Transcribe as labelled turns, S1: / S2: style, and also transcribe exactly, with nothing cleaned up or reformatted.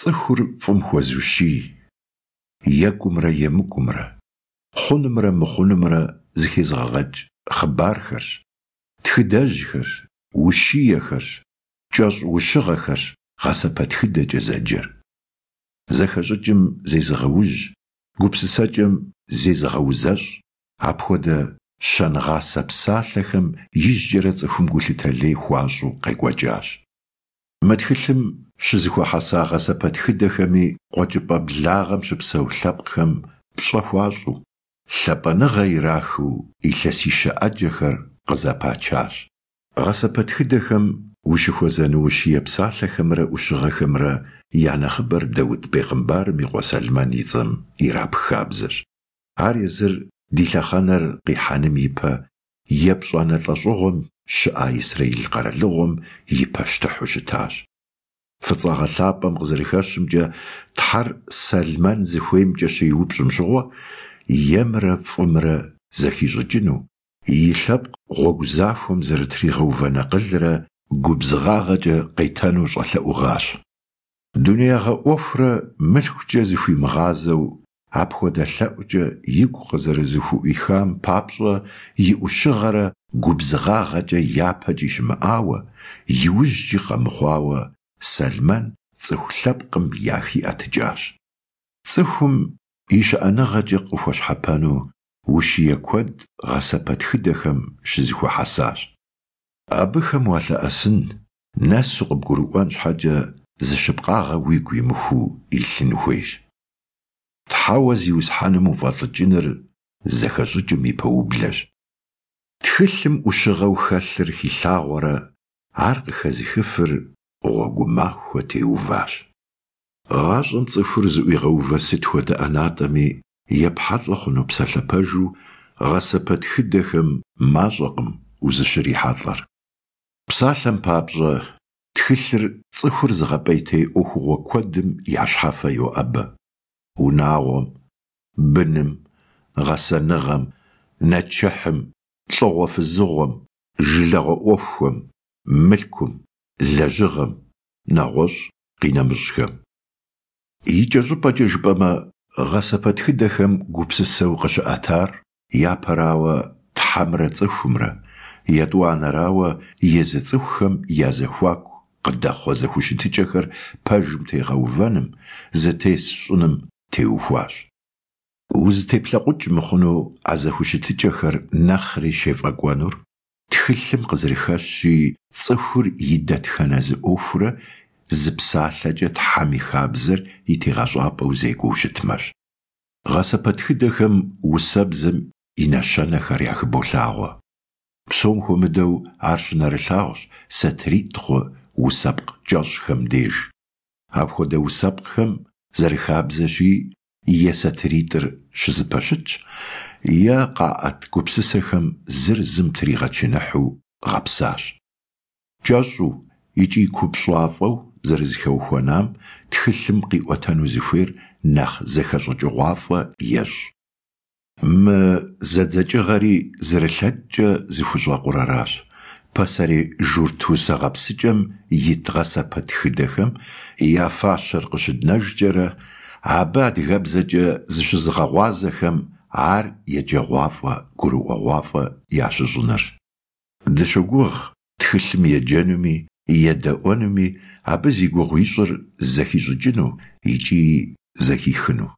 S1: Цӏыхур фӏым хуэзущий, екӏумрэ емыкӏумрэ, хъунумрэ мыхъунумрэ зэхезыгъэгъэкӏ хъыбархэрщ, тхыдэжьхэрщ, ущиехэрщ, кӏэщӏ-ущыгъэхэрщ гъэсэпэтхыдэкӏэ зэджэр. Зэхэщӏыкӏым зезыгъэужь, гупсысэкӏэм зезыгъэузэщӏ апхуэдэ щэнгъасэ псалъэхэм ижькӏэрэ цӏыхум гулъытэ лей хуащӏу къекӏуэкӏащ. Мы тхылъым щызэхуэхьэса гъэсэпэтхыдэхэми Къуэкӏыпӏэ Благъэм щыпсэу лъэпкъхэм пщӏэ хуащӏу, лъапӏэныгъэ ирахыу илъэсищэ ӏэджэхэр къызэпачащ. Гъэсэпэтхыдэхэм ущыхуэзэну ущие псалъэхэмрэ ӏущыгъэхэмрэ я нэхъыбэр Даут бегъымбарым и къуэ Сэлмэн и цӏэм ирапх хабзэщ. Ар езыр ди лъэхъэнэр къихьэным ипэ епщӏанэ лӏэщӏыгъуэм щыӏа Израиль къэралыгъуэм и пащтыхьу щытащ. Фӏыцӏагъэ лъапӏэм къызэрыхэщымкӏэ, Тхьэр Сэлмэн зыхуеймкӏэ щеупщӏым щыгъуэ, емрэ фӏымрэ зэхищӏыкӏыну, и лъэпкъ гъуэгу захуэм зэрытригъэувэн акъылрэ губзыгъагъэкӏэ къетэну щӏэлъэӏугъащ. Дунеягъэ ӏуэхурэ мылъкукӏэ зыхуимыгъазэу апхуэдэ лъэӏукӏэ игу къызэрызыхуӏуихам папщӏэ и ӏущыгъэрэ губзыгъагъэкӏэ япэкӏи щымыӏауэ, иужькӏи къэмыхъуауэ Сэлмэн цӏыху лъэпкъым яхиӏэтыкӏащ. Цӏыхум и щыӏэныгъэкӏэ къыхуэщхьэпэну ущие куэд гъэсэпэтхыдэхэм щызэхуэхьэсащ. Абыхэм уалъэӏэсын, нэсу къыбгурыӏуэн щхьэкӏэ зы щыпкъагъэ уигу имыхуу илъын хуейщ. Тхьэуэ Зиусхьэным уфӏэлӏыкӏыныр зэхэщӏыкӏым и пэублэщ. Тхылъым ӏущыгъэу хэлъыр хилъагъуэрэ ар къыхэзыхыфыр гъуэгу махуэ теуващ. Гъащӏэм цӏыхур зыӏуигъэувэ сыт хуэдэ ӏэнатӏэми епхьэлӏэ хъуну псалъэ пэжу гъэсэпэтхыдэхэм мащӏэкъым узыщрихьэлӏэр. Псалъэм папщӏэ, тхылъыр цӏыхур зыгъэпӏейтей ӏуэхугъуэ куэдым я щхьэфэ йоӏэбэ: унагъуэм, быным, гъэсэныгъэм, нэчыхьым, лӏыгъуэ-фызыгъуэм, жылагъуэ ӏуэхухэм, мылъкум, лэжьыгъэм, нэгъуэщӏ къинэмыщӏхэм. Икӏэщӏыпӏэкӏэ жыпӏэмэ, гъэсэпэтхыдэхэм гупсысэу къыщыӏэтар, япэрауэ, Тхьэмрэ цӏыхумрэ, етӏуанэрауэ, езы цӏыхухэм я зэхуаку къыдэхъуэ зэхущытыкӏэхэр пэжым тегъэувэным, зэтес щӏыным теухуащ. Узытеплъэкъукӏ мыхъуну а зэхущытыкӏэхэр нэхъри щефӏэкӏуэнур, тхылъым къызэрыхэщщи, цӏыхур и дэтхэнэ зы ӏуэхурэ зы псалъэкӏэ Тхьэм и хабзэр и тегъэщӏапӏэу зекӏуэу щытмэщ. Гъэсэпэтхыдэхэм усэбзэм и нэщэнэхэр яхыболъагъуэ. Псом хуэмыдэу ар щынэрылъагъущ сатыритӏ хъу усэпкъ кӏэщӏхэм деж. Апхуэдэ усэпкъхэм зэрыхабзэщи, е сатыритӏыр щызэпэщытщ, е къаӏэт гупсысэхэм зыр зым тригъэчыныхьу гъэпсащ. Кӏэщӏу икӏи купщӏафӏэу зэрызэхэухуэнам тхылъым къиӏуэтэну зыхуейр нэхъ зэхэщӏыкӏыгъуафӏэ ещӏ. Мы зэдзэкӏыгъэри зэрылъэкӏкӏэ зыхущӏэкъур аращ: пасэрей журт усэ гъэпсыкӏэм ит гъэсэпэтхыдэхэм я фащэр къыщыднэжкӏэрэ, абы адыгэбзэкӏэ зыщызыгъэгъуазэхэм ар еджэгъуафӏэ, гурыӏуэгъуафӏэ ящыщӏынырщ. Дыщогугъ тхылъым еджэнуми, едэӏуэнуми абы зи гугъу ищӏыр зэхищӏыкӏыну икӏи зэхихыну.